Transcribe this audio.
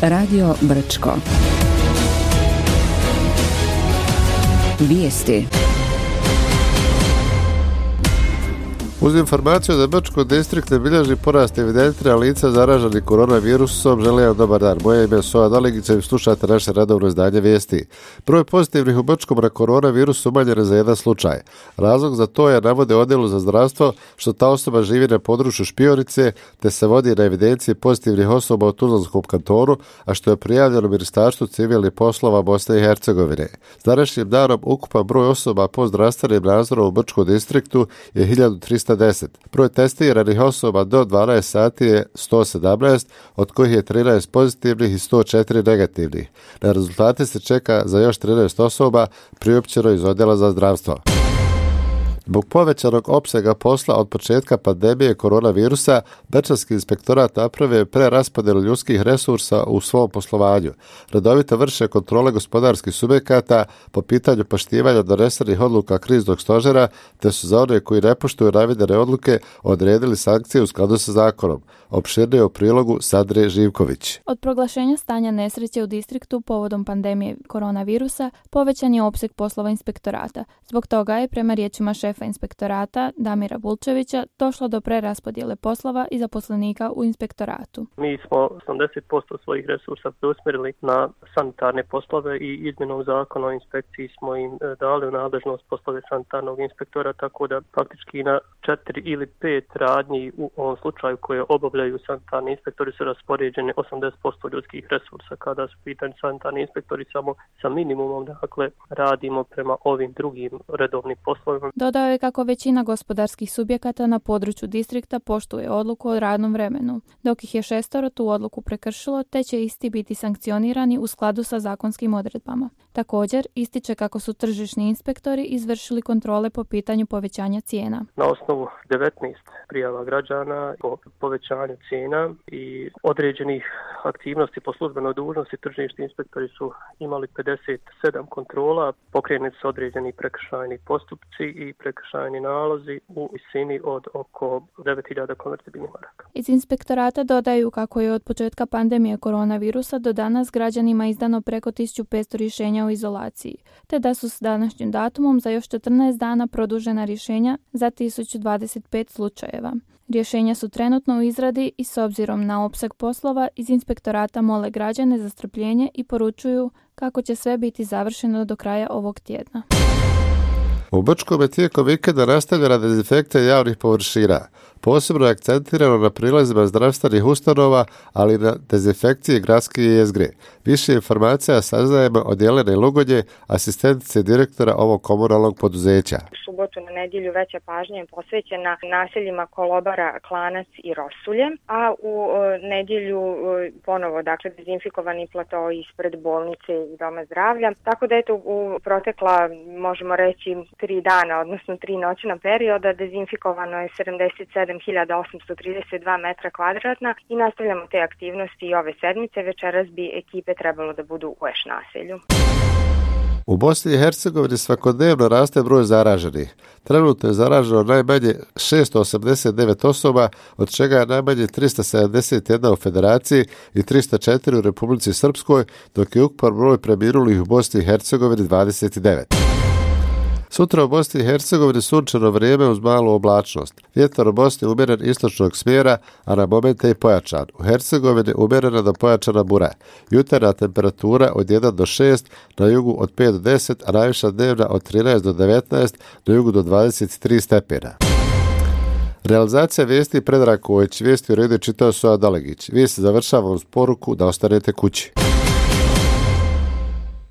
Radio Brčko. Vijesti. Uz informaciju da Brčko distrikt ne bilježi porast evidentiranja lica zaraženih koronavirusom, želim vam dobar dan. Moje ime je Soja Doligić i slušate naše redovno izdanje vijesti. Broj pozitivnih u Brčkom na koronavirus umanjen je za jedan slučaj. Razlog za to je, navode odjelu za zdravstvo, što ta osoba živi na području Špionice, te se vodi na evidenciji pozitivnih osoba u Tuzlanskom kantonu, a što je prijavljeno Ministarstvu civilnih poslova Bosne i Hercegovine. S današnjim danom ukupan broj osoba po zdravstvenim nadzorom u Brčkom distriktu je 1310. Broj testiranih osoba do 12 sati je 117, od kojih je 13 pozitivnih i 104 negativnih. Na rezultate se čeka za još 13 osoba priopćeno iz odjela za zdravstvo. Zbog povećanog opsega posla od početka pandemije koronavirusa, Brčanski inspektorat napravio je preraspodjelu ljudskih resursa u svom poslovanju. Redovito vrše kontrole gospodarskih subjekata po pitanju poštivanja donesenih odluka kriznog stožera, te su za one koji ne poštuju navedene odluke odredili sankcije u skladu sa zakonom. Opširnije u prilogu Sandre Živković. Od proglašenja stanja nesreće u distriktu povodom pandemije koronavirusa povećan je opseg poslova inspektorata. Zbog toga je, prema riječima šefa inspektorata Damira Bulčevića, došlo do preraspodjele poslova i zaposlenika u inspektoratu. Mi smo 80% svojih resursa preusmjerili na sanitarne poslove i izmjenom zakona o inspekciji smo im dali u nadležnost poslove sanitarnog inspektora, tako da faktički na 4 ili 5 radnji u ovom slučaju koje obavljaju sanitarni inspektori su raspoređeni 80% ljudskih resursa. Kada su pitani sanitarni inspektori samo sa minimumom, dakle radimo prema ovim drugim redovnim poslovima. Dodao je kako većina gospodarskih subjekata na području distrikta poštuje odluku o radnom vremenu, dok ih je 6 tu odluku prekršilo, te će isti biti sankcionirani u skladu sa zakonskim odredbama. Također, ističe kako su tržišni inspektori izvršili kontrole po pitanju povećanja cijena. Na osnovu 19 prijava građana o povećanju cijena i određenih aktivnosti po službenoj dužnosti, tržišni inspektori su imali 57 kontrola, pokrenuti su određeni prekršajni postupci i prekršajni nalozi u visini od oko 9.000 konvertibilnih maraka. Iz inspektorata dodaju kako je od početka pandemije koronavirusa do danas građanima izdano preko 1500 rješenja o izolaciji, te da su s današnjim datumom za još 14 dana produžena rješenja za 1025 slučajeva. Rješenja su trenutno u izradi i s obzirom na opseg poslova iz inspektorata mole građane za strpljenje i poručuju kako će sve biti završeno do kraja ovog tjedna. U Brčkom je tijekom vikenda nastavljena dezinfekcija javnih površina. Posebno je akcentirano na prilazima zdravstvenih ustanova, ali i na dezinfekciji gradske jezgre. Više informacija saznajemo od Jelene Lugonje, asistentice direktora ovog komunalnog poduzeća. U subotu na nedjelju veća pažnja je posvećena naseljima Kolobara, Klanac i Rosulje, a u nedjelju ponovo dezinfikovani plato ispred bolnice i doma zdravlja. Tako da u protekla, možemo reći, 3 dana, odnosno 3 noćna perioda, dezinfikovano je 77.832 metra kvadratna i nastavljamo te aktivnosti i ove sedmice. Večeras bi ekipe trebalo da budu u Eš naselju. U Bosni i Hercegovini svakodnevno raste broj zaraženih. Trenutno je zaraženo najmanje 689 osoba, od čega je najmanje 371 u Federaciji i 304 u Republici Srpskoj, dok je ukupan broj preminulih u Bosni i Hercegovini 29. Sutra u Bosni i Hercegovini sunčano vrijeme uz malu oblačnost. Vjetar u Bosni umjeren istočnog smjera, a na momente i pojačan. U Hercegovini umjerena do pojačana bura. Jutarnja temperatura od 1 do 6, na jugu od 5 do 10, a najviša dnevna od 13 do 19, na jugu do 23 stepena. Realizacija vijesti Predrag Kojić, vijesti u redu čitao Soja Doligić. Vijesti završavamo uz poruku da ostanete kući.